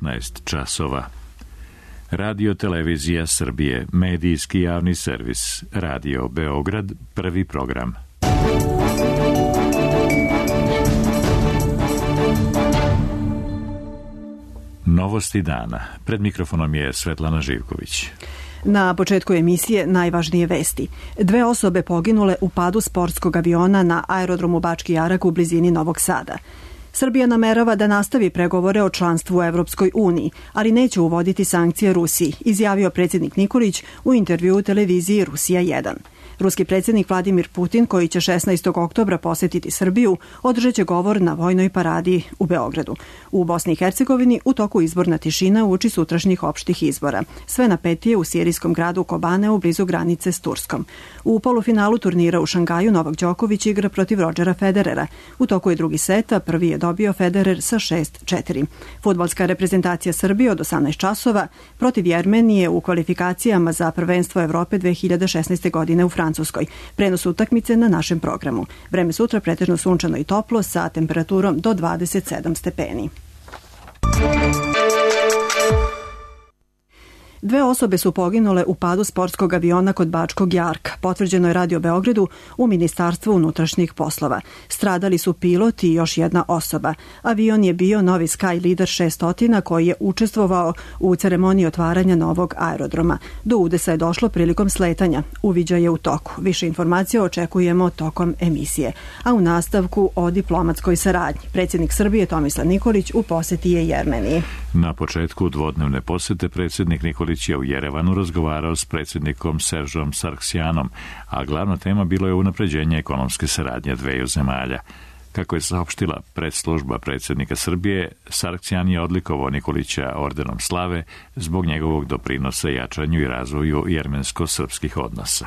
15 časova. Radio Televizija Srbije, medijski javni servis, Radio Beograd, prvi program. Novosti dana. Pred mikrofonom je Svetlana Živković. Na početku emisije najvažnije vesti. 2 osobe poginule u padu sportskog aviona na aerodromu Bački Jarak u blizini Novog Sada. Srbija namerava da nastavi pregovore o članstvu u Evropskoj uniji, ali neće uvoditi sankcije Rusiji, izjavio predsjednik Nikolić u intervjuu u televiziji Rusija 1. Ruski predsjednik Vladimir Putin, koji će 16. oktobra posjetiti Srbiju, održat će govor na vojnoj paradi u Beogradu. U Bosni i Hercegovini u toku izborna tišina uoči sutrašnjih opštih izbora. Sve napetije u sirijskom gradu Kobaneu blizu granice s Turskom. U polufinalu turnira u Šangaju Novak Đoković igra protiv Rodgera Federera. U toku je drugi set, a prvi je dobio Federer sa 6-4. Fudbalska reprezentacija Srbije od 18 časova protiv Jermenije u kvalifikacijama za prvenstvo Evrope 2016. godine u Francuskoj. Prenos utakmice na našem programu. Vreme sutra pretežno sunčano i toplo sa temperaturom do 27 stepeni. 2 osobe su poginule u padu sportskog aviona kod Bačkog Jarka, potvrđeno je Radio Beogradu u Ministarstvu unutrašnjih poslova. Stradali su pilot i još jedna osoba. Avion je bio novi Sky Leader 600 koji je učestvovao u ceremoniji otvaranja novog aerodroma. Do udesa je došlo prilikom sletanja. Uviđaj je u toku. Više informacija očekujemo tokom emisije. A u nastavku o diplomatskoj saradnji. Predsjednik Srbije Tomislav Nikolić u posjeti je Jermeniji. Na početku dvodnevne posjete predsjednik Nikolić je u Jerevanu razgovarao s predsjednikom Seržom Sargsjanom, a glavna tema bilo je unapređenje ekonomske saradnje dveju zemalja. Kako je saopštila predslužba predsjednika Srbije, Sargsjan je odlikovao Nikolića ordenom slave zbog njegovog doprinosa jačanju i razvoju jermensko-srpskih odnosa.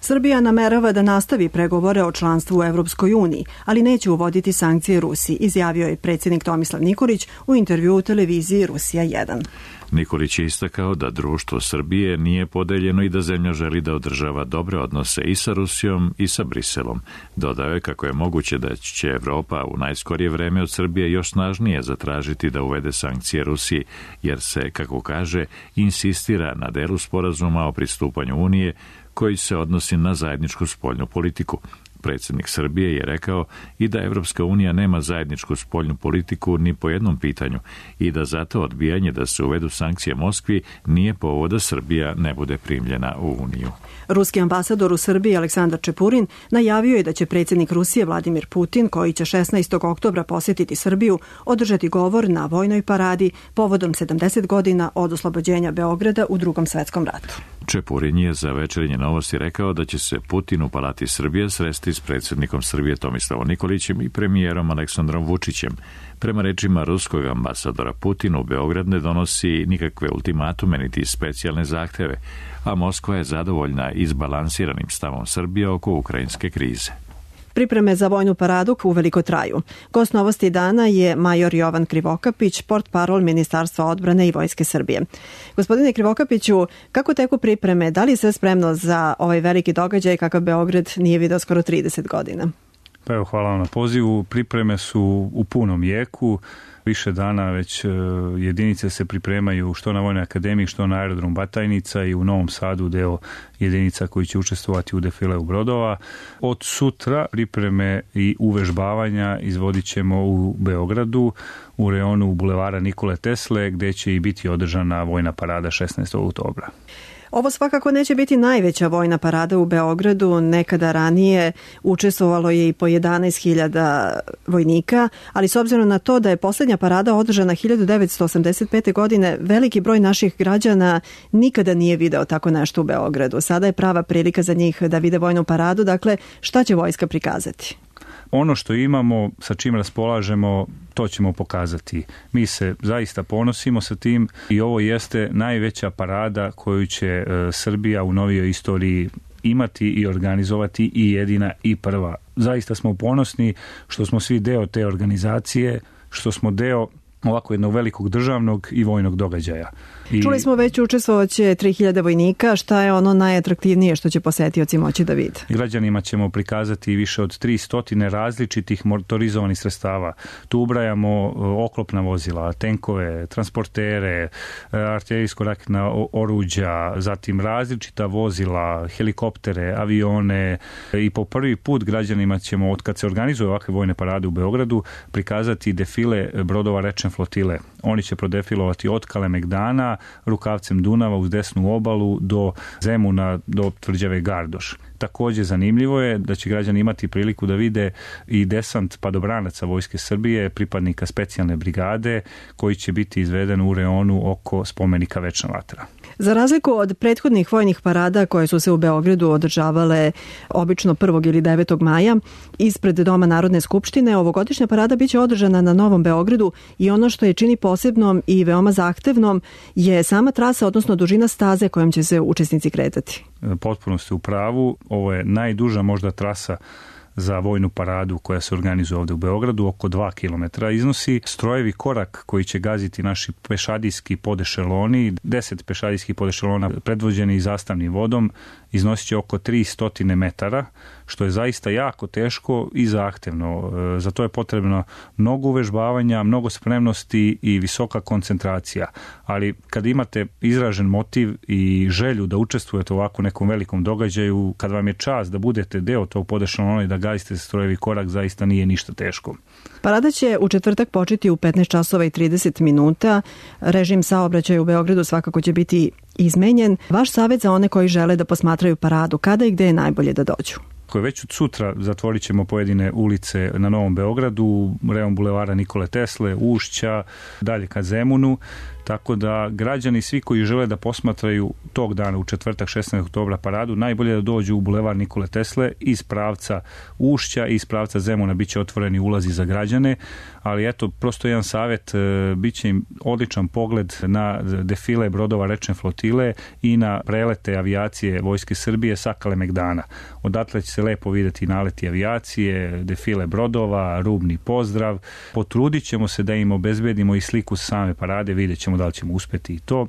Srbija namerava da nastavi pregovore o članstvu u Evropskoj uniji, ali neće uvoditi sankcije Rusiji, izjavio je predsjednik Tomislav Nikolić u intervjuu u televiziji Rusija 1. Nikolić je istakao da društvo Srbije nije podeljeno i da zemlja želi da održava dobre odnose i sa Rusijom i sa Briselom. Dodao je kako je moguće da će Evropa u najskorije vreme od Srbije još snažnije zatražiti da uvede sankcije Rusiji, jer se, kako kaže, insistira na delu sporazuma o pristupanju Unije koji se odnosi na zajedničku spoljnu politiku. Predsjednik Srbije je rekao i da Evropska unija nema zajedničku spoljnu politiku ni po jednom pitanju i da zato odbijanje da se uvedu sankcije Moskvi nije povod da Srbija ne bude primljena u Uniju. Ruski ambasador u Srbiji Aleksandar Čepurin najavio je da će predsjednik Rusije Vladimir Putin, koji će 16. oktobra posjetiti Srbiju, održati govor na vojnoj paradi povodom 70 godina od oslobođenja Beograda u Drugom svetskom ratu. Čepurin je za Večernje novosti rekao da će se Putin u Palati Srbije sresti s predsjednikom Srbije Tomislavom Nikolićem i premijerom Aleksandrom Vučićem. Prema rečima ruskog ambasadora, Putin u Beograd ne donosi nikakve ultimatume niti specijalne zahteve, a Moskva je zadovoljna izbalansiranim stavom Srbije oko ukrajinske krize. Pripreme za vojnu paradu uveliko traju. Gost novosti dana je major Jovan Krivokapić, portparol Ministarstva odbrane i Vojske Srbije. Gospodine Krivokapiću, kako teku pripreme? Da li je sve spremno za ovaj veliki događaj kakav Beograd nije video skoro 30 godina? Pa evo, hvala vam na pozivu. Pripreme su u punom jeku. Više dana već jedinice se pripremaju što na Vojnoj akademiji, što na aerodrom Batajnica i u Novom Sadu deo jedinica koji će učestvovati u defileu brodova. Od sutra pripreme i uvežbavanja izvodit ćemo u Beogradu, u reonu bulevara Nikole Tesle, gde će i biti održana vojna parada 16. oktobra. Ovo svakako neće biti najveća vojna parada u Beogradu. Nekada ranije učestvovalo je i po 11.000 vojnika, ali s obzirom na to da je posljednja parada održana 1985. godine, veliki broj naših građana nikada nije video tako nešto u Beogradu. Sada je prava prilika za njih da vide vojnu paradu. Dakle, šta će vojska prikazati? Ono što imamo, sa čim raspolažemo, to ćemo pokazati. Mi se zaista ponosimo sa tim i ovo jeste najveća parada koju će Srbija u novijoj istoriji imati i organizovati, i jedina i prva. Zaista smo ponosni što smo svi deo te organizacije, što smo deo ovako jednog velikog državnog i vojnog događaja. Čuli smo već učestvovaće 3000 vojnika. Šta je ono najatraktivnije što će posetioci moći da vide? Građanima ćemo prikazati više od 300 različitih motorizovanih sredstava. Tu ubrajamo oklopna vozila, tenkove, transportere, artiljerijsko-raketna oruđa, zatim različita vozila, helikoptere, avione i po prvi put građanima ćemo, od kad se organizuju ovakve vojne parade u Beogradu, prikazati defile brodova rečne flotile. Oni će prodefilovati od Kalemegdana, rukavcem Dunava uz desnu obalu do Zemuna, do tvrđave Gardoš. Također zanimljivo je da će građani imati priliku da vide i desant padobranaca Vojske Srbije, pripadnika specijalne brigade, koji će biti izveden u reonu oko spomenika Večna vatra. Za razliku od prethodnih vojnih parada koje su se u Beogradu održavale obično 1. ili 9. maja ispred Doma Narodne skupštine, ovogodišnja parada biće održana na Novom Beogradu i ono što je čini posebnom i veoma zahtevnom je sama trasa, odnosno dužina staze kojom će se učesnici kretati. Potpuno ste u pravu. Ovo je najduža možda trasa za vojnu paradu koja se organizuje ovdje u Beogradu, oko 2 km iznosi. Strojevi korak koji će gaziti naši pešadijski podešeloni, 10 pešadijskih podešelona predvođeni zastavnim vodom, iznosit će oko 300 metara, što je zaista jako teško i zahtevno. Za to je potrebno mnogo uvežbavanja, mnogo spremnosti i visoka koncentracija. Ali kad imate izražen motiv i želju da učestvujete u ovako nekom velikom događaju, kad vam je čast da budete deo tog podešelona i da gazite strojevi korak, zaista nije ništa teško. Parada će u četvrtak početi u 15 časova i 30 minuta. Režim saobraćaja u Beogradu svakako će biti izmenjen. Vaš savjet za one koji žele da posmatraju paradu, kada i gde je najbolje da dođu? Već od sutra zatvorit ćemo pojedine ulice na Novom Beogradu, rejon bulevara Nikole Tesle, Ušća, dalje ka Zemunu, tako da građani svi koji žele da posmatraju tog dana u četvrtak 16. oktobra paradu, najbolje da dođu u bulevar Nikole Tesle iz pravca Ušća i iz pravca Zemuna, bit će otvoreni ulazi za građane, ali eto, prosto jedan savjet, bit će im odličan pogled na defile brodova rečne flotile i na prelete avijacije Vojske Srbije sa Kalemegdana. Odatle će se lepo vidjeti naleti avijacije, defile brodova, rubni pozdrav. Potrudit ćemo se da im obezbedimo i sliku same parade, vidjet ćemo da li ćemo uspjeti i to.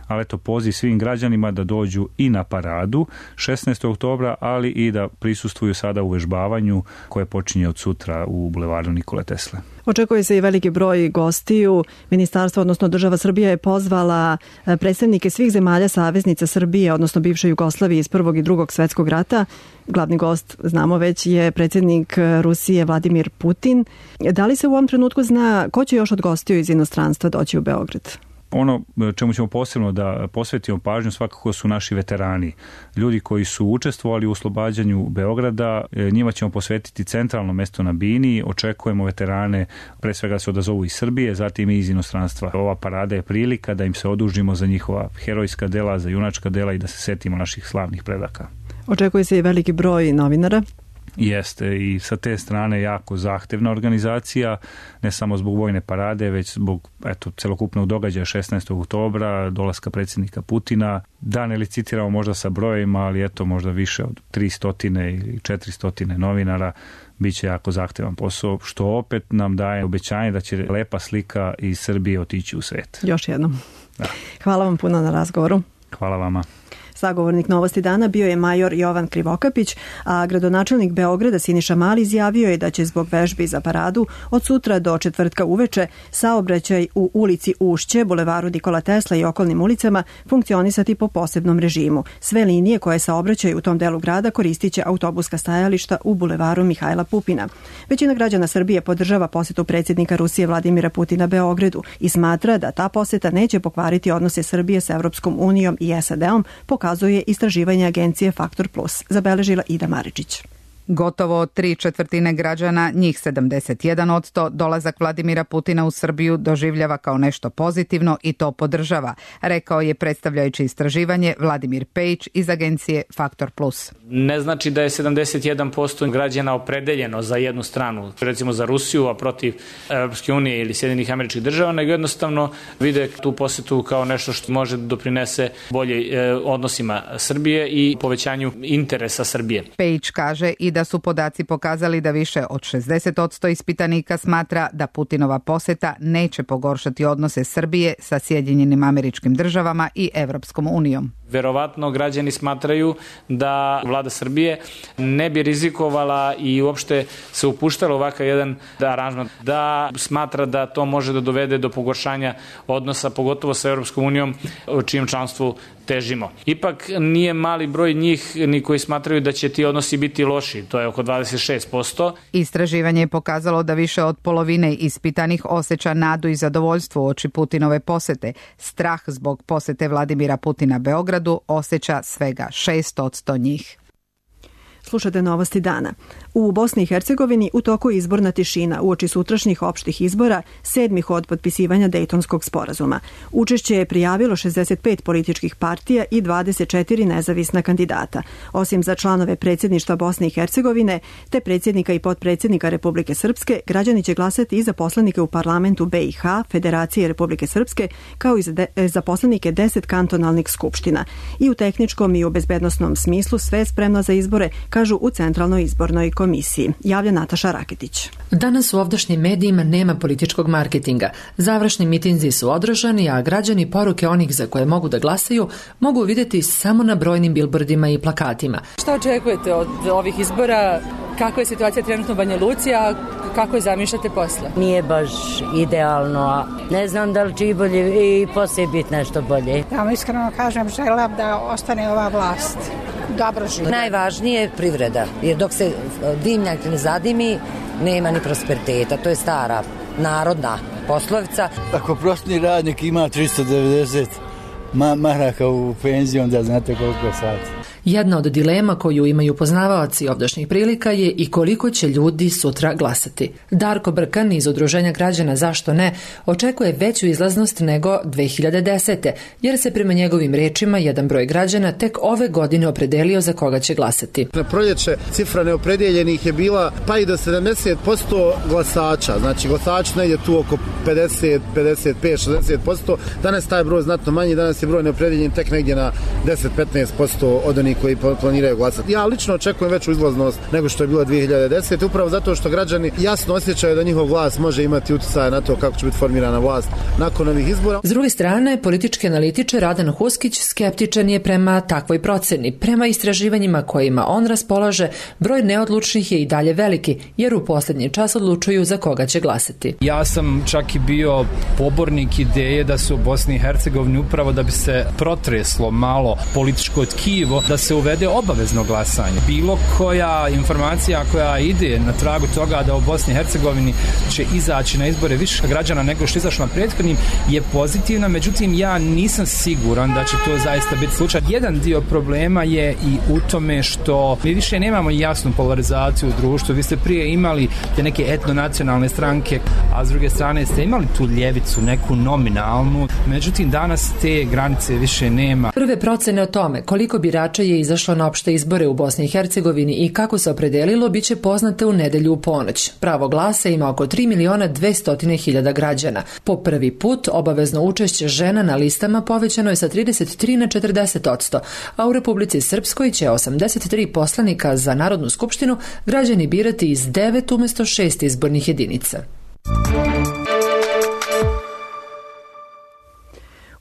Ali eto, poziv svim građanima da dođu i na paradu 16. oktobra, ali i da prisustvuju sada u vežbavanju koje počinje od sutra u bulevaru Nikole Tesle. Očekuje se i veliki broj gostiju. Ministarstvo, odnosno država Srbija, je pozvala predstavnike svih zemalja saveznica Srbije, odnosno bivše Jugoslavije iz Prvog i Drugog svjetskog rata. Glavni gost, znamo već, je predsjednik Rusije Vladimir Putin. Da li se u ovom trenutku zna ko će još od gostiju iz inostranstva doći u Beograd? Ono čemu ćemo posebno da posvetimo pažnju svakako su naši veterani. Ljudi koji su učestvovali u oslobađanju Beograda, njima ćemo posvetiti centralno mesto na bini. Očekujemo veterane, pre svega se odazovu iz Srbije, zatim i iz inostranstva. Ova parada je prilika da im se odužimo za njihova herojska dela, za junačka dela i da se setimo naših slavnih predaka. Očekuje se i veliki broj novinara. Jeste, i sa te strane jako zahtevna organizacija, ne samo zbog vojne parade, već zbog celokupnog događaja 16. oktobra, dolaska predsjednika Putina. Da ne licitiramo možda sa brojima, ali možda više od 300 ili 400 novinara, bit će jako zahtevan posao, što opet nam daje obećanje da će lepa slika iz Srbije otići u svijet. Još jednom. Da. Hvala vam puno na razgovoru. Hvala vama. Sagovornik Novosti dana bio je major Jovan Krivokapić, a gradonačelnik Beograda Siniša Mali izjavio je da će zbog vežbi za paradu od sutra do četvrtka uveče saobraćaj u ulici Ušće, bulevaru Nikola Tesla i okolnim ulicama funkcionisati po posebnom režimu. Sve linije koje saobraćaju u tom delu grada koristit će autobuska stajališta u bulevaru Mihajla Pupina. Većina građana Srbije podržava posjetu predsjednika Rusije Vladimira Putina Beogradu i smatra da ta posjeta neće pokvariti odnose Srbije sa Europskom unijom i SAD-om, pokazuje istraživanje agencije Faktor Plus, zabeležila Ida Maričić. Gotovo 3/4 građana, njih 71%, dolazak Vladimira Putina u Srbiju doživljava kao nešto pozitivno i to podržava, rekao je predstavljajući istraživanje Vladimir Pejić iz agencije Faktor Plus. Ne znači da je 71% građana opredeljeno za jednu stranu, recimo za Rusiju, a protiv Europske unije ili Sjedinjenih Američkih Država, nego jednostavno vide tu posjetu kao nešto što može da doprinese bolje odnosima Srbije i povećanju interesa Srbije. Pejić kaže i da su podaci pokazali da više od 60% ispitanika smatra da Putinova poseta neće pogoršati odnose Srbije sa Sjedinjenim Američkim Državama i Evropskom unijom. Verovatno građani smatraju da vlada Srbije ne bi rizikovala i uopšte se upuštala ovakav jedan aranžman, da smatra da to može da dovede do pogoršanja odnosa, pogotovo sa Evropskom unijom, o čijem članstvu težimo. Ipak nije mali broj njih ni koji smatraju da će ti odnosi biti loši, to je oko 26%. Istraživanje je pokazalo da više od polovine ispitanih osjeća nadu i zadovoljstvo uoči Putinove posete. Strah zbog posete Vladimira Putina Beogradu osjeća svega 6% njih. Slušate novosti dana. U Bosni i Hercegovini u toku je izborna tišina uoči sutrašnjih opštih izbora, 7 od potpisivanja Dejtonskog sporazuma. Učešće je prijavilo 65 političkih partija i 24 nezavisna kandidata. Osim za članove predsjedništva Bosne i Hercegovine, te predsjednika i potpredsjednika Republike Srpske, građani će glasati i za poslanike u parlamentu BiH, Federacije Republike Srpske, kao i za poslanike 10 kantonalnih skupština. I u tehničkom i u bezbednosnom smislu sve je spremno za izbore, kažu u Centralnoj izbornoj komisiji. Javlja Nataša Raketić. Danas u ovdašnjim medijima nema političkog marketinga. Završni mitinzi su održani, a građani poruke onih za koje mogu da glasaju mogu vidjeti samo na brojnim bilbordima i plakatima. Šta očekujete od ovih izbora? Kakva je situacija trenutno u Banja Luci, a kako je zamišljate posle? Nije baš idealno, a ne znam da li će i bolje i poslije biti nešto bolje. Ja vam iskreno kažem, želim da ostane ova vlast. Dobro živi. Najvažnije je privreda, jer dok se dimnjak ne zadimi, nema ni prosperiteta. To je stara narodna poslovica. Ako prosječni radnik ima 390 maraka u penziji, onda znate koliko je sati. Jedna od dilema koju imaju poznavaoci ovdašnjih prilika je i koliko će ljudi sutra glasati. Darko Brkan iz Udruženja građana Zašto ne očekuje veću izlaznost nego 2010. jer se prema njegovim rečima jedan broj građana tek ove godine opredelio za koga će glasati. Na proljeće cifra neopredijeljenih je bila pa i do 70% glasača. Znači glasač negdje tu oko 50, 55, 60%. Danas taj broj znatno manji, danas je broj neopredijeljen tek negdje na 10-15% od onih koji planiraju glasati. Ja lično očekujem veću izlaznost nego što je bila 2010. upravo zato što građani jasno osjećaju da njihov glas može imati utjecaja na to kako će biti formirana vlast nakon ovih izbora. S druge strane, politički analitičar Radan Huskić skeptičan je prema takvoj proceni. Prema istraživanjima kojima on raspolaže, broj neodlučnih je i dalje veliki, jer u posljednji čas odlučuju za koga će glasati. Ja sam čak i bio pobornik ideje da se u Bosni i Hercegovini upravo da bi se protreslo malo političko tkivo, da se uvede obavezno glasanje. Bilo koja informacija koja ide na tragu toga da u Bosni i Hercegovini će izaći na izbore više građana nego što je izašlo na prethodnim je pozitivna, međutim ja nisam siguran da će to zaista biti slučaj. Jedan dio problema je i u tome što mi više nemamo jasnu polarizaciju u društvu. Vi ste prije imali te neke etnonacionalne stranke, a s druge strane ste imali tu ljevicu, neku nominalnu. Međutim, danas te granice više nema. Prve procene o tome koliko birača je izašlo na opšte izbore u Bosni i Hercegovini i kako se opredelilo biće poznate u nedelju u ponoć. Pravo glasa ima oko 3.200.000 građana. Po prvi put obavezno učešće žena na listama povećano je sa 33 na 40%, a u Republici Srpskoj će 83 poslanika za Narodnu skupštinu građani birati iz 9 umjesto 6 izbornih jedinica.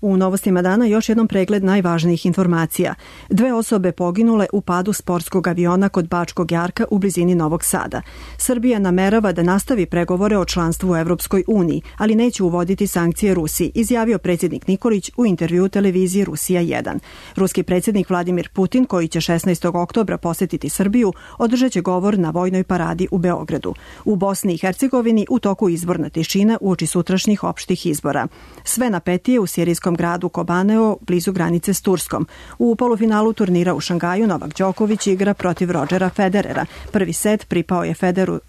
U novostima dana još jednom pregled najvažnijih informacija. 2 osobe poginule u padu sportskog aviona kod Bačkog Jarka u blizini Novog Sada. Srbija namerava da nastavi pregovore o članstvu u Evropskoj uniji, ali neće uvoditi sankcije Rusiji, izjavio predsjednik Nikolić u intervjuu televiziji Rusija 1. Ruski predsjednik Vladimir Putin, koji će 16. oktobra posjetiti Srbiju, održat će govor na vojnoj paradi u Beogradu. U Bosni i Hercegovini u toku izborna tišina uoči sutrašnjih opštih izbora. Sve napetije u sirijskom gradu Kobaneo, blizu granice s Turskom. U polufinalu turnira u Šangaju Novak Đoković igra protiv Rodgera Federera. Prvi set pripao je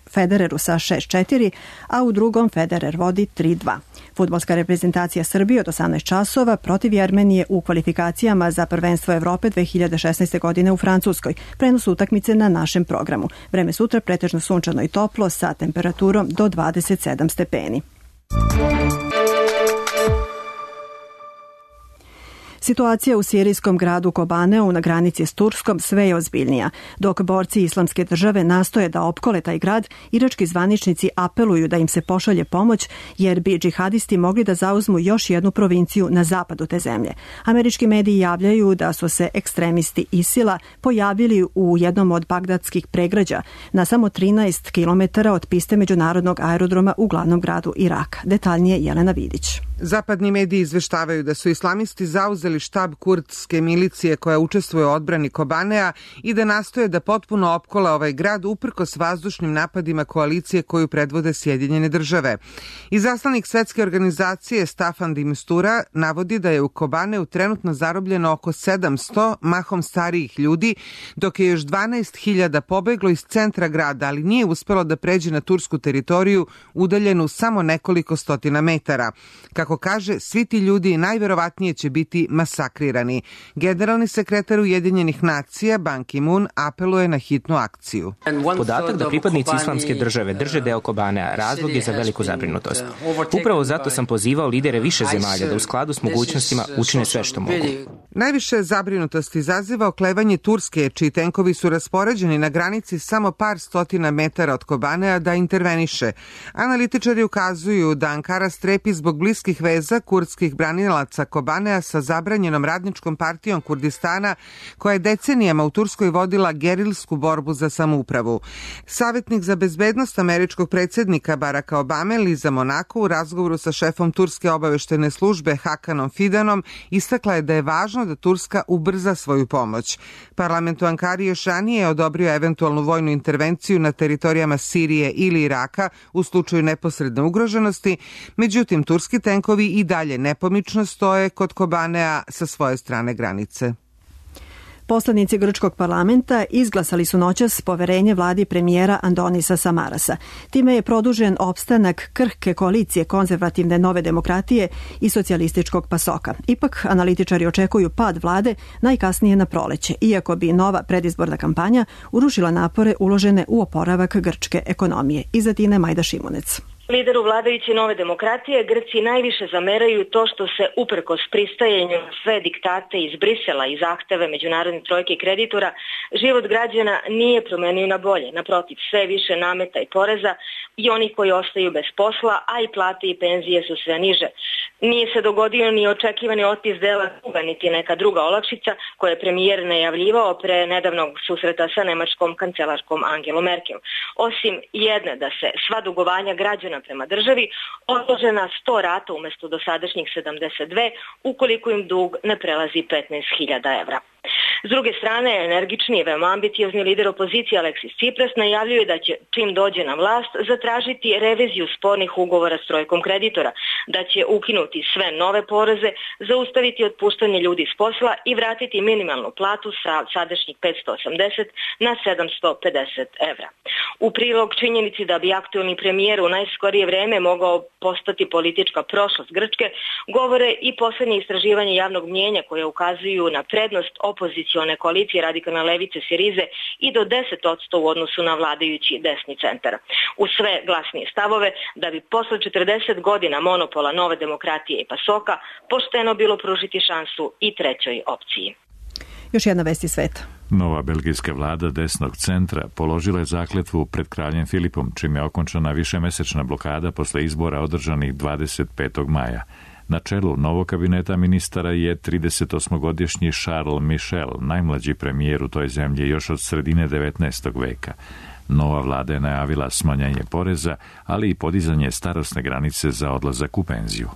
Federeru sa 6-4, a u drugom Federer vodi 3-2. Fudbalska reprezentacija Srbije od 18 časova protiv Jermenije u kvalifikacijama za prvenstvo Evrope 2016. godine u Francuskoj. Prenos utakmice na našem programu. Vreme sutra pretežno sunčano i toplo sa temperaturom do 27 stepeni. Situacija u sirijskom gradu Kobaneu na granici s Turskom sve je ozbiljnija. Dok borci Islamske države nastoje da opkole taj grad, irački zvaničnici apeluju da im se pošalje pomoć jer bi džihadisti mogli da zauzmu još jednu provinciju na zapadu te zemlje. Američki mediji javljaju da su se ekstremisti ISIL-a pojavili u jednom od bagdadskih pregrađa na samo 13 km od piste međunarodnog aerodroma u glavnom gradu Iraka. Detaljnije Jelena Vidić. Zapadni mediji izveštavaju da su islamisti zauzeli štab kurdske milicije koja učestvuje u odbrani Kobanea i da nastoje da potpuno opkole ovaj grad uprkos vazdušnim napadima koalicije koju predvode Sjedinjene države. Izaslanik svetske organizacije Staffan de Mistura navodi da je u Kobaneu trenutno zarobljeno oko 700 mahom starijih ljudi, dok je još 12.000 pobeglo iz centra grada, ali nije uspelo da pređe na tursku teritoriju udaljenu samo nekoliko stotina metara. Kako kaže, svi ti ljudi najverovatnije će biti masakrirani. Generalni sekretar Ujedinjenih nacija Ban Ki-moon apeluje na hitnu akciju. Podatak da pripadnici Islamske države drže deo Kobanea razlog je za veliku zabrinutost. Upravo zato sam pozivao lidere više zemalja da u skladu s mogućnostima učine sve što mogu. Najviše zabrinutosti izaziva oklevanje Turske, čiji tenkovi su raspoređeni na granici samo par stotina metara od Kobanea da interveniše. Analitičari ukazuju da Ankara strepi zbog bliskih veza kurdskih branilaca Kobanea sa zabranjenom radničkom partijom Kurdistana, koja je decenijama u Turskoj vodila gerilsku borbu za samoupravu. Savjetnik za bezbednost američkog predsjednika Baracka Obame, Liza Monaco, u razgovoru sa šefom Turske obaveštene službe Hakanom Fidanom istakla je da je važno da Turska ubrza svoju pomoć. Parlament u Ankari još ranije odobrio eventualnu vojnu intervenciju na teritorijama Sirije ili Iraka u slučaju neposredne ugroženosti, međutim turski tenkovi i dalje nepomično stoje kod Kobanea sa svoje strane granice. Poslanici grčkog parlamenta izglasali su noćas poverenje vladi premijera Andonisa Samarasa. Time je produžen opstanak krhke koalicije konzervativne Nove demokratije i socijalističkog PASOK-a. Ipak, analitičari očekuju pad vlade najkasnije na proleće, iako bi nova predizborna kampanja urušila napore uložene u oporavak grčke ekonomije. Iz Atine Majda Šimunec. Lideru vladajuće Nove demokratije Grci najviše zameraju to što se uprkos pristajanju sve diktate iz Brisela i zahteve međunarodne trojke kreditora, život građana nije promenio na bolje. Naprotiv, sve više nameta i poreza i oni koji ostaju bez posla, a i plate i penzije su sve niže. Nije se dogodio ni očekivani otpis dela duga, niti neka druga olakšica koje je premijer najavljivao pre nedavnog susreta sa nemačkom kancelarkom Angelom Merkel. Osim jedne da se sva dugovanja građana prema državi odlože na 100 rata umjesto dosadašnjih 72 ukoliko im dug ne prelazi 15.000 evra. S druge strane, energični i veoma ambiciozni lider opozicije Aleksis Tsipras najavljuje da će, čim dođe na vlast, zatražiti reviziju spornih ugovora s trojkom kreditora, da će ukinuti sve nove poreze, zaustaviti otpuštanje ljudi s posla i vratiti minimalnu platu sa sadašnjih 580 na 750 evra. U prilog činjenici da bi aktualni premijer u najskorije vreme mogao postati politička prošlost Grčke, govore i posljednje istraživanje javnog mnijenja koje ukazuju na prednost opozicione koalicije radikalne levice Sirize i do 10% u odnosu na vladajući desni centar. U sve glasnije stavove da bi posle 40 godina monopola Nove demokratije i PASOK-a pošteno bilo pružiti šansu i trećoj opciji. Još jedna vest iz sveta. Nova belgijska vlada desnog centra položila je zakletvu pred kraljem Filipom, čim je okončana višemesečna blokada posle izbora održanih 25. maja. Na čelu novog kabineta ministara je 38-godišnji Charles Michel, najmlađi premijer u toj zemlji još od sredine 19. veka. Nova vlada je najavila smanjanje poreza, ali i podizanje starosne granice za odlazak u penziju.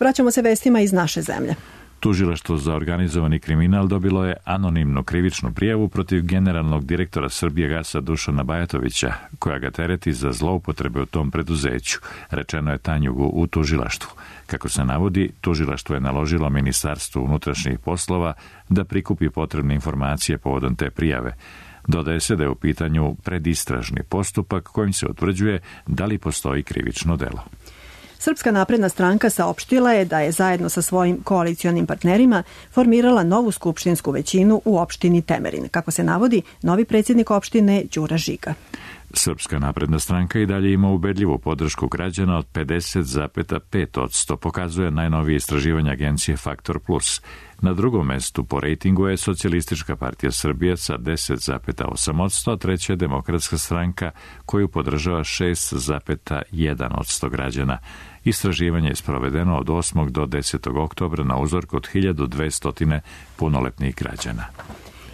Vraćamo se vestima iz naše zemlje. Tužilaštvo za organizovani kriminal dobilo je anonimnu krivičnu prijavu protiv generalnog direktora Srbijagasa Dušana Bajatovića, koja ga tereti za zloupotrebe u tom preduzeću, rečeno je Tanjugu u tužilaštvu. Kako se navodi, tužilaštvo je naložilo Ministarstvu unutrašnjih poslova da prikupi potrebne informacije povodom te prijave. Dodaje se da je u pitanju predistražni postupak kojim se utvrđuje da li postoji krivično delo. Srpska napredna stranka saopštila je da je zajedno sa svojim koalicionim partnerima formirala novu skupštinsku većinu u opštini Temerin. Kako se navodi, novi predsjednik opštine Đura Žiga. Srpska napredna stranka i dalje ima ubedljivu podršku građana od 50,5%, pokazuje najnovije istraživanje agencije Faktor Plus. Na drugom mestu po rejtingu je Socijalistička partija Srbije sa 10,8%, a treća je Demokratska stranka koju podržava 6,1% građana. Istraživanje je sprovedeno od 8. do 10. oktobra na uzorku od 1200 punoletnih građana.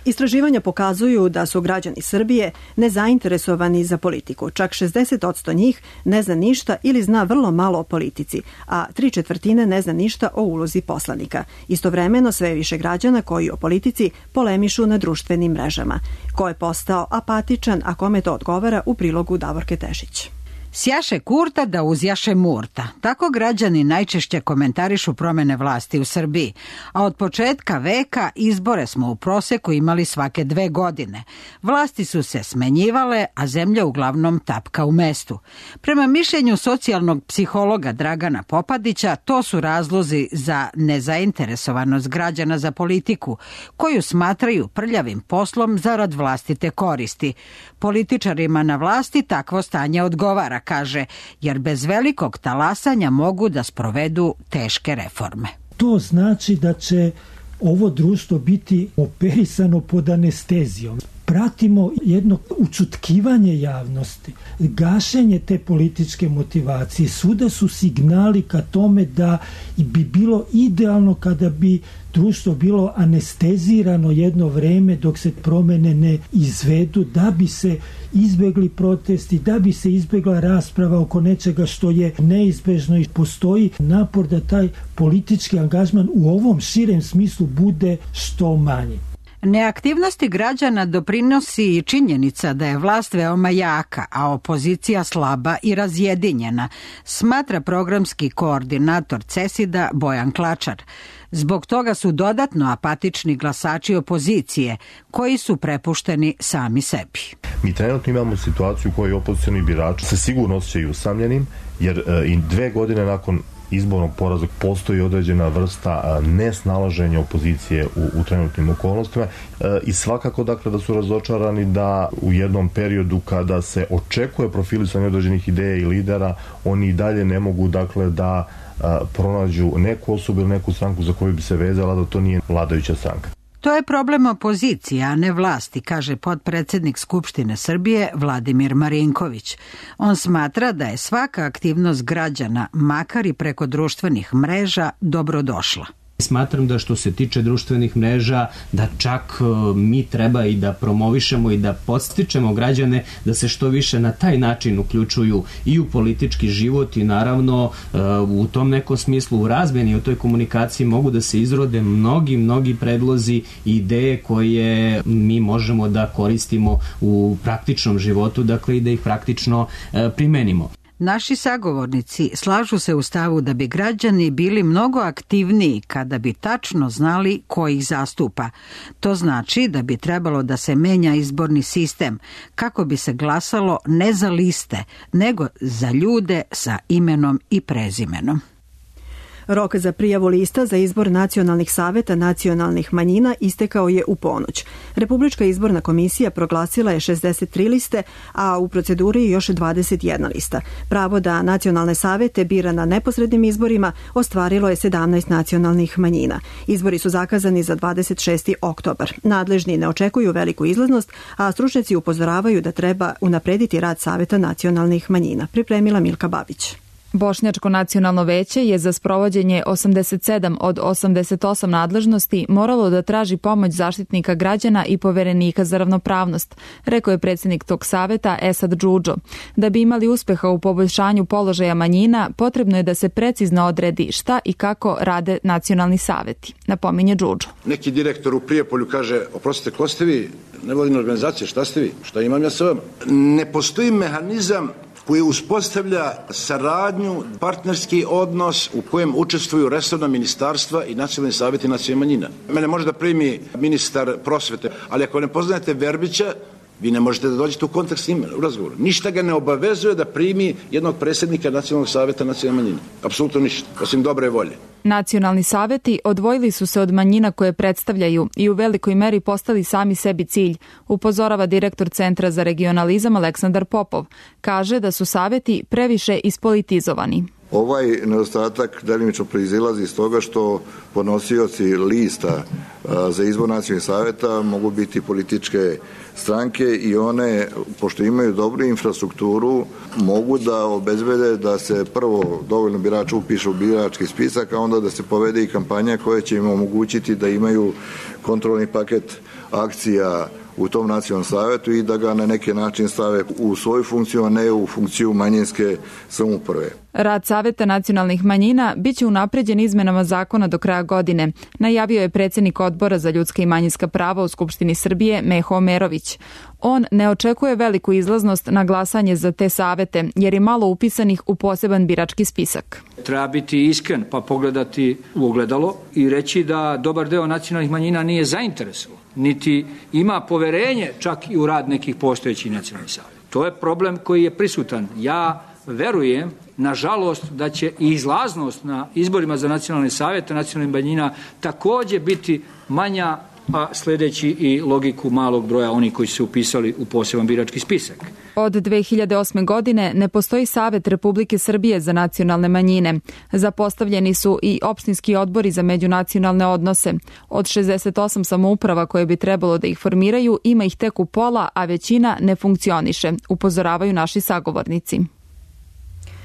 Istraživanja pokazuju da su građani Srbije nezainteresovani za politiku. Čak 60% njih ne zna ništa ili zna vrlo malo o politici, a 3/4 ne zna ništa o ulozi poslanika. Istovremeno sve više građana koji o politici polemišu na društvenim mrežama. Ko je postao apatičan, a kome to odgovara, u prilogu Davorke Tešić. Sjaše Kurta da uzjaše Murta. Tako građani najčešće komentarišu promene vlasti u Srbiji. A od početka veka izbore smo u proseku imali svake 2 godine. Vlasti su se smenjivale, a zemlja uglavnom tapka u mestu. Prema mišljenju socijalnog psihologa Dragana Popadića, to su razlozi za nezainteresovanost građana za politiku, koju smatraju prljavim poslom zarad vlastite koristi. Političarima na vlasti takvo stanje odgovara, kaže, jer bez velikog talasanja mogu da sprovedu teške reforme. To znači da će ovo društvo biti operisano pod anestezijom. Pratimo jedno učutkivanje javnosti, gašenje te političke motivacije. Svuda su signali ka tome da bi bilo idealno kada bi društvo bilo anestezirano jedno vreme dok se promene ne izvedu, da bi se izbegli protesti, da bi se izbegla rasprava oko nečega što je neizbežno i postoji napor da taj politički angažman u ovom širem smislu bude što manji. Neaktivnosti građana doprinosi i činjenica da je vlast veoma jaka, a opozicija slaba i razjedinjena, smatra programski koordinator CESID-a Bojan Klačar. Zbog toga su dodatno apatični glasači opozicije, koji su prepušteni sami sebi. Mi trenutno imamo situaciju u kojoj opozicioni birači se sigurno osjećaju usamljenim, jer i 2 godine nakon izbornog poraza postoji određena vrsta nesnalaženja opozicije u trenutnim okolnostima i svakako dakle da su razočarani da u jednom periodu kada se očekuje profilisanje određenih ideja i lidera, oni i dalje ne mogu dakle da pronađu neku osobu ili neku stranku za koju bi se vezala da to nije vladajuća stranka. To je problem opozicije, a ne vlasti, kaže potpredsednik Skupštine Srbije Vladimir Marinković. On smatra da je svaka aktivnost građana, makar i preko društvenih mreža, dobrodošla. Smatram da što se tiče društvenih mreža, da čak mi treba i da promovišemo i da podstičemo građane da se što više na taj način uključuju i u politički život i naravno u tom nekom smislu u razmeni, u toj komunikaciji mogu da se izrode mnogi predlozi i ideje koje mi možemo da koristimo u praktičnom životu, dakle i da ih praktično primenimo. Naši sagovornici slažu se u stavu da bi građani bili mnogo aktivniji kada bi tačno znali ko ih zastupa. To znači da bi trebalo da se menja izborni sistem kako bi se glasalo ne za liste, nego za ljude sa imenom i prezimenom. Rok za prijavu lista za izbor nacionalnih saveta nacionalnih manjina istekao je u ponoć. Republička izborna komisija proglasila je 63 liste, a u proceduri još 21 lista. Pravo da nacionalne savete bira na neposrednim izborima ostvarilo je 17 nacionalnih manjina. Izbori su zakazani za 26. oktobar. Nadležni ne očekuju veliku izlaznost, a stručnjaci upozoravaju da treba unaprediti rad saveta nacionalnih manjina. Pripremila Milka Babić. Bošnjačko nacionalno veće je za sprovođenje 87 od 88 nadležnosti moralo da traži pomoć zaštitnika građana i poverenika za ravnopravnost, rekao je predsjednik tog saveta Esad Džudžo. Da bi imali uspeha u poboljšanju položaja manjina, potrebno je da se precizno odredi šta i kako rade nacionalni saveti, napominje Džudžo. Neki direktor u Prijepolju kaže, oprostite, ko ste vi? Nevladina organizacija, šta ste vi? Šta imam ja sa vama? Ne postoji mehanizam koji uspostavlja saradnju, partnerski odnos u kojem učestvuju resorna ministarstva i nacionalni savjeti nacionalnih manjina. Mene može da primi ministar prosvete, ali ako ne poznajete Verbića, Vi ne možete da dođete u kontakt s njim u razgovoru. Ništa ga ne obavezuje da primi jednog predsjednika Nacionalnog savjeta nacionalne manjine. Apsolutno ništa, osim dobre volje. Nacionalni saveti odvojili su se od manjina koje predstavljaju i u velikoj meri postali sami sebi cilj, upozorava direktor Centra za regionalizam Aleksandar Popov. Kaže da su saveti previše ispolitizovani. Ovaj nedostatak delimično proizilazi iz toga što podnosioci lista za izbor nacionalnih savjeta mogu biti političke stranke i one, pošto imaju dobru infrastrukturu, mogu da obezbede da se prvo dovoljno birača upiše u birački spisak, a onda da se povede i kampanja koja će im omogućiti da imaju kontrolni paket akcija u tom nacionalnom savjetu i da ga na neki način stave u svoju funkciju, a ne u funkciju manjinske samouprave. Rad Saveta nacionalnih manjina biće unapređen izmenama zakona do kraja godine, najavio je predsjednik Odbora za ljudska i manjinska prava u Skupštini Srbije Meho Omerović. On ne očekuje veliku izlaznost na glasanje za te savete, jer je malo upisanih u poseban birački spisak. Treba biti iskren pa pogledati u ogledalo i reći da dobar deo nacionalnih manjina nije zainteresovan, niti ima poverenje čak i u rad nekih postojećih nacionalnih saveta. To je problem koji je prisutan. Ja verujem, nažalost, da će i izlaznost na izborima za nacionalne savete nacionalnih manjina također biti manja, a sljedeći i logiku malog broja onih koji su se upisali u poseban birački spisak. Od 2008. godine ne postoji Savet Republike Srbije za nacionalne manjine. Zapostavljeni su i opštinski odbori za međunacionalne odnose. Od 68 samouprava koje bi trebalo da ih formiraju, ima ih tek u pola, a većina ne funkcioniše, upozoravaju naši sagovornici.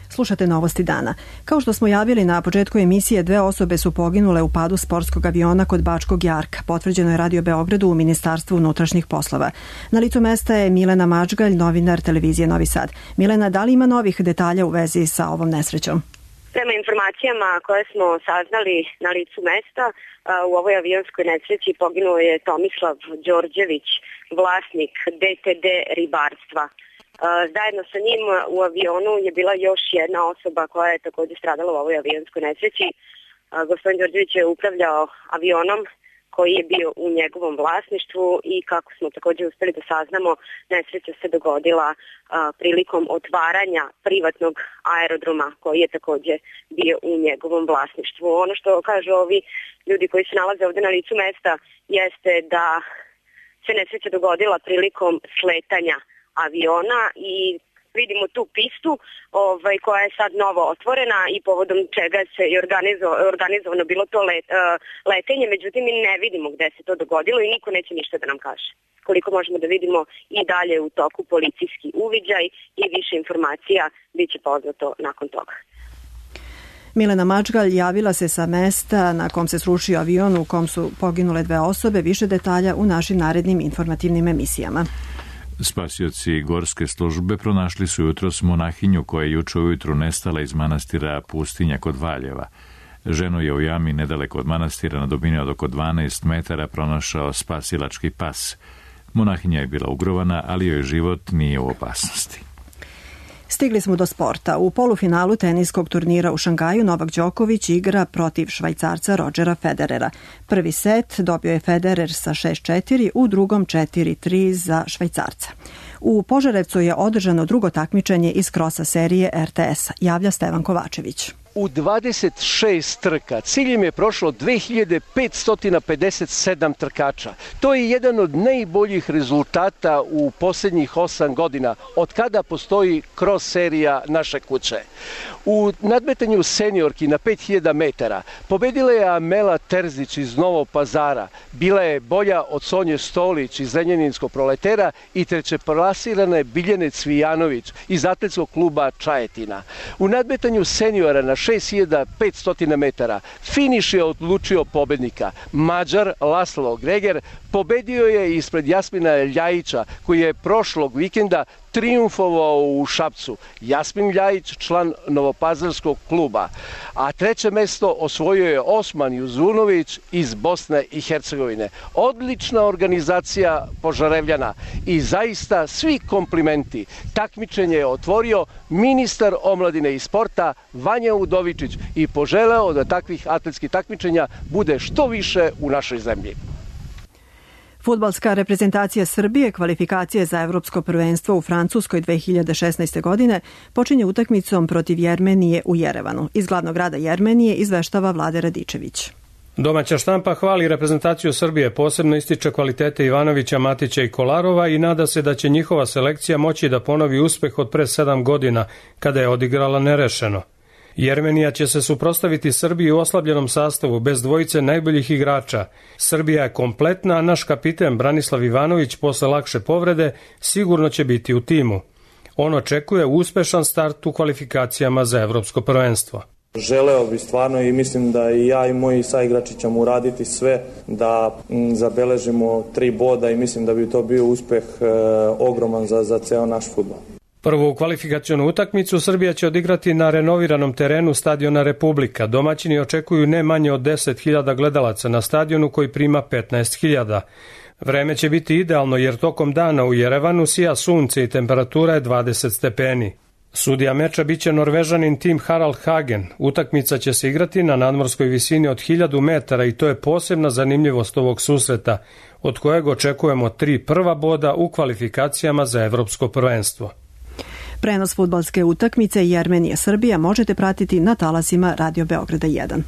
Slušate Novosti dana. Kao što smo javili na početku emisije, 2 osobe su poginule u padu sportskog aviona kod Bačkog Jarka. Potvrđeno je Radio Beogradu u Ministarstvu unutrašnjih poslova. Na licu mesta je Milena Mačgalj, novinar televizije Novi Sad. Milena, da li ima novih detalja u vezi sa ovom nesrećom? Prema informacijama koje smo saznali na licu mesta, u ovoj avionskoj nesreći poginuo je Tomislav Đorđević, vlasnik DTD ribarstva. Zajedno sa njim u avionu je bila još jedna osoba koja je također stradala u ovoj avionskoj nesreći. Gospodin Đorđević je upravljao avionom koji je bio u njegovom vlasništvu i kako smo također uspjeli da saznamo, nesreća se dogodila prilikom otvaranja privatnog aerodroma koji je također bio u njegovom vlasništvu. Ono što kažu ovi ljudi koji se nalaze ovdje na licu mesta jeste da se nesreća dogodila prilikom sletanja aviona i vidimo tu pistu koja je sad novo otvorena i povodom čega se i organizovano bilo to letenje, međutim mi ne vidimo gde se to dogodilo i niko neće ništa da nam kaže. Koliko možemo da vidimo i dalje u toku policijski uviđaj i više informacija bit će poznato nakon toga. Milena Mačgalj javila se sa mesta na kom se srušio avion u kom su poginule 2 osobe. Više detalja u našim narednim informativnim emisijama. Spasioci gorske službe pronašli su jutros monahinju koja je juče ujutru nestala iz manastira Pustinja kod Valjeva. Ženu je u jami nedaleko od manastira na dubini od oko 12 metara pronašao spasilački pas. Monahinja je bila ugrovana, ali joj život nije u opasnosti. Stigli smo do sporta. U polufinalu teniskog turnira u Šangaju Novak Đoković igra protiv Švajcarca Rodgera Federera. Prvi set dobio je Federer sa 6-4, u drugom 4-3 za Švajcarca. U Požarevcu je održano drugo takmičenje iz krosa serije RTS-a, javlja Stevan Kovačević. U 26 trka ciljem je prošlo 2557 trkača. To je jedan od najboljih rezultata u posljednjih 8 godina, od kada postoji cross serija naše kuće. U nadmetanju seniorki na 5000 metara pobedila je Amela Terzić iz Novog Pazara. Bila je bolja od Sonje Stolić iz Zrenjaninskog Proletera i trećeplasirana je Biljane Cvijanović iz atletskog kluba Čajetina. U nadmetanju seniora na 6500 metara finiš je odlučio pobednika. Mađar Laslo Greger pobedio je ispred Jasmina Ljajića koji je prošlog vikenda triumfovao u Šapcu. Jasmin Ljajić, član Novopazarskog kluba. A treće mesto osvojio je Osman Juzunović iz Bosne i Hercegovine. Odlična organizacija Požarevljana i zaista svi komplimenti. Takmičenje je otvorio ministar omladine i sporta Vanja Udovičić i poželeo da takvih atletskih takmičenja bude što više u našoj zemlji. Fudbalska reprezentacija Srbije kvalifikacije za Evropsko prvenstvo u Francuskoj 2016. godine počinje utakmicom protiv Jermenije u Jerevanu. Iz glavnog grada Jermenije izveštava Vlade Radičević. Domaća štampa hvali reprezentaciju Srbije, posebno ističe kvalitete Ivanovića, Matića i Kolarova i nada se da će njihova selekcija moći da ponovi uspeh od pre 7 godina, kada je odigrala nerešeno. Jermenija će se suprotstaviti Srbiji u oslabljenom sastavu, bez dvojice najboljih igrača. Srbija je kompletna, a naš kapiten Branislav Ivanović posle lakše povrede sigurno će biti u timu. On očekuje uspešan start u kvalifikacijama za Evropsko prvenstvo. Želeo bi stvarno i mislim da i ja i moji saigrači ćemo uraditi sve da zabeležimo 3 boda i mislim da bi to bio uspeh ogroman za ceo naš fudbal. Prvu kvalifikacionu utakmicu Srbija će odigrati na renoviranom terenu stadiona Republika. Domaćini očekuju ne manje od 10.000 gledalaca na stadionu koji prima 15.000. Vreme će biti idealno jer tokom dana u Jerevanu sija sunce i temperatura je 20 stepeni. Sudija meča biće Norvežanin Tim Harald Hagen. Utakmica će se igrati na nadmorskoj visini od 1000 metara i to je posebna zanimljivost ovog susreta, od kojeg očekujemo 3 prva boda u kvalifikacijama za Evropsko prvenstvo. Prenos fudbalske utakmice Jermenija-Srbija možete pratiti na talasima Radio Beograda 1.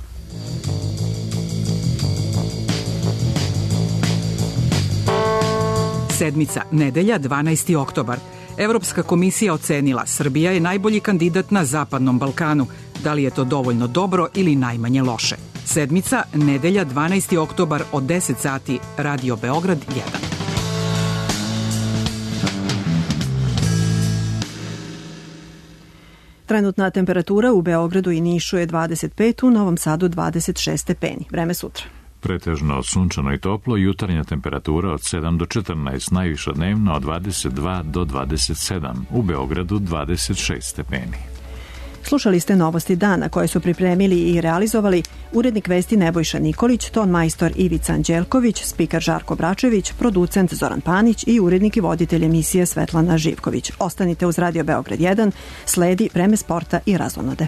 Sedmica, nedelja, 12. oktobar. Evropska komisija ocenila Srbija je najbolji kandidat na Zapadnom Balkanu. Da li je to dovoljno dobro ili najmanje loše? Sedmica, nedelja, 12. oktobar od 10 sati, Radio Beograd 1. Trenutna temperatura u Beogradu i Nišu je 25, u Novom Sadu 26 stepeni. Vreme sutra. Pretežno sunčano i toplo, jutarnja temperatura od 7 do 14, najviša dnevno od 22 do 27, u Beogradu 26 stepeni. Slušali ste novosti dana koje su pripremili i realizovali urednik vesti Nebojša Nikolić, ton majstor Ivica Anđelković, spiker Žarko Bračević, producent Zoran Panić i urednik i voditelj emisije Svetlana Živković. Ostanite uz Radio Beograd 1, sledi vreme sporta i razonode.